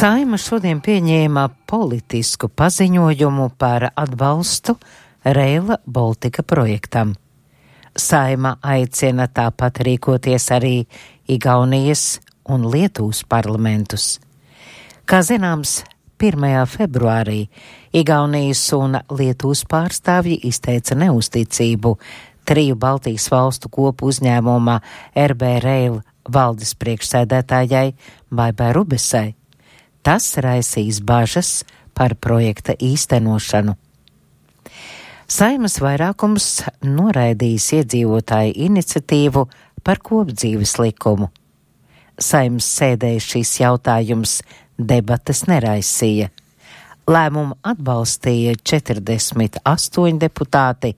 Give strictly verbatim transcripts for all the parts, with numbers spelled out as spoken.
Saeima šodien pieņēma politisku paziņojumu par atbalstu Rail Baltica projektam. Saeima aicina tāpat rīkoties arī Igaunijas un Lietuvas parlamentus. Kā zināms, pirmajā februārī Igaunijas un Lietuvas pārstāvji izteica neusticību triju Baltijas valstu kopu uzņēmuma R B Rail valdes priekšsēdētājai Baibai Rubesai. Tas raisīs bažas par projekta īstenošanu. Saeimas vairākums noraidījis iedzīvotāju iniciatīvu par kopdzīves likumu. Saeimas sēdē šis jautājums debates neraisīja. Lēmumu atbalstīja četrdesmit astoņi deputāti,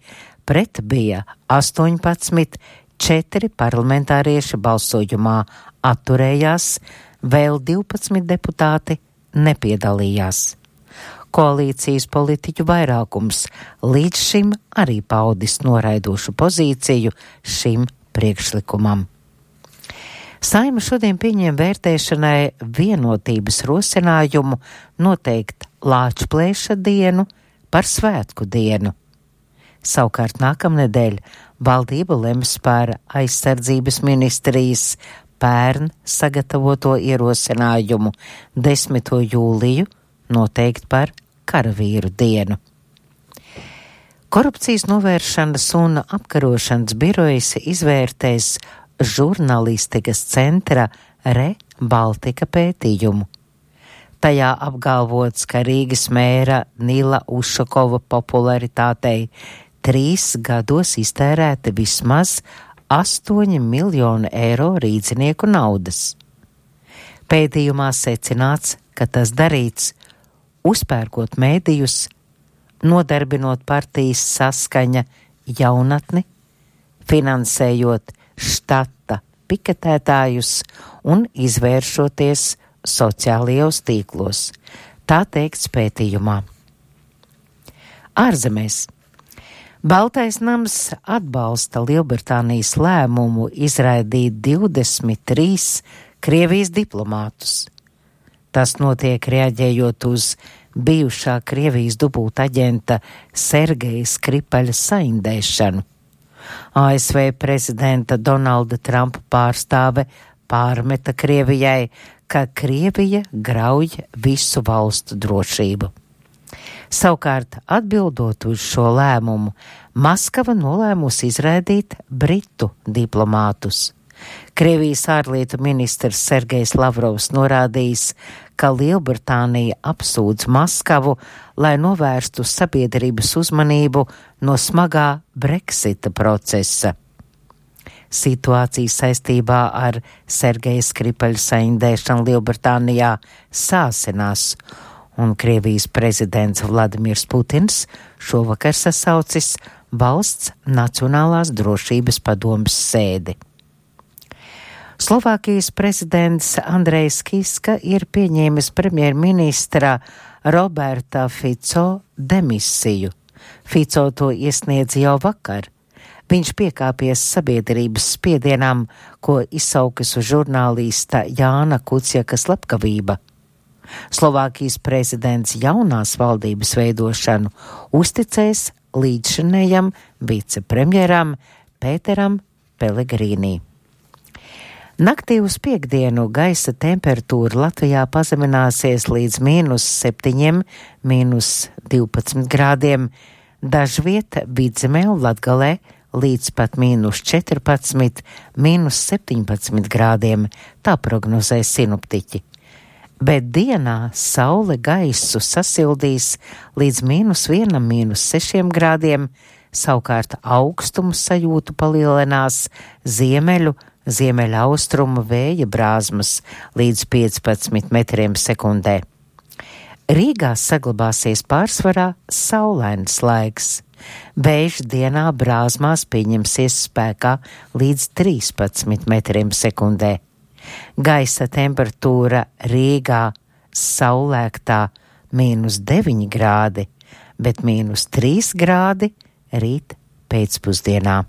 pret bija astoņpadsmit, četri parlamentārieši balsojumā atturējās, vēl divpadsmit deputāti nepiedalījās. Koalīcijas politiķu vairākums līdz šim arī paudis noraidošu pozīciju šim priekšlikumam. Saeima šodien pieņem vērtēšanai vienotības rosinājumu noteikt Lāčplēša dienu par svētku dienu. Savukārt nākamnedēļ valdība lems par aizsardzības ministrijas pērn sagatavoto ierosinājumu desmito jūliju noteikt par karavīru dienu. Korupcijas novēršanas un apkarošanas birojas izvērtēs žurnālistikas centra Re Baltica pētījumu. Tajā apgalvots, ka Rīgas mēra Nila Ušakova popularitātei trīs gados iztērēta vismaz astoņi miljoni eiro rīdzinieku naudas. Pētījumā secināts, ka tas darīts uzpērkot mēdījus, nodarbinot partijas Saskaņa jaunatni, finansējot štata piketētājus un izvēršoties sociālajos tīklos. Tā teikts pētījumā. Ārzemēs. Baltais nams atbalsta Lielbritānijas lēmumu izraidīt divdesmit trīs Krievijas diplomātus. Tas notiek reaģējot uz bijušā Krievijas dubultaģenta Sergeja Skripaļa saindēšanu. A S V prezidenta Donalda Trumpa pārstāve pārmeta Krievijai, ka Krievija grauj visu valstu drošību. Savukārt, atbildot uz šo lēmumu, Maskava nolēmusi izraidīt britu diplomātus. Krievijas ārlietu ministrs Sergejs Lavrovs norādījis, ka Lielbritānija apsūdz Maskavu, lai novērstu sabiedrības uzmanību no smagā Brexita procesa. Situācija saistībā ar Sergeja Skripaļa saindēšanu Lielbritānijā sāsinās, un Krievijas prezidents Vladimirs Putins šovakar sasaucis valsts Nacionālās drošības padomes sēdi. Slovākijas prezidents Andrejs Kiska ir pieņēmis premjerministra Roberta Fico demisiju. Fico to iesniedz jau vakar. Viņš piekāpies sabiedrības spiedienam, ko izsaukusi žurnālista Jāna Kuciaka slepkavība. Slovākijas prezidents jaunās valdības veidošanu uzticēs līdzšinējam vicepremjeram Pēteram Pelegrīnī. Naktī uz piektdienu gaisa temperatūra Latvijā pazemināsies līdz mīnus septiņiem, mīnus divpadsmit grādiem, dažviet Vidzemē un Latgalē līdz pat mīnus četrpadsmit, mīnus septiņpadsmit grādiem, tā prognozē sinoptiķi. Bet dienā saule gaisu sasildīs līdz mīnus vienam, mīnus sešiem grādiem, savukārt augstumu sajūtu palielinās ziemeļu, ziemeļa austrumu vēja brāzmas līdz piecpadsmit metriem sekundē. Rīgā saglabāsies pārsvarā saulains laiks. Vējš dienā brāzmās pieņemsies spēkā līdz trīspadsmit metriem sekundē. Gaisa temperatūra Rīgā saulēktā mīnus deviņi grādi, bet mīnus trīs grādi rīt pēcpusdienā.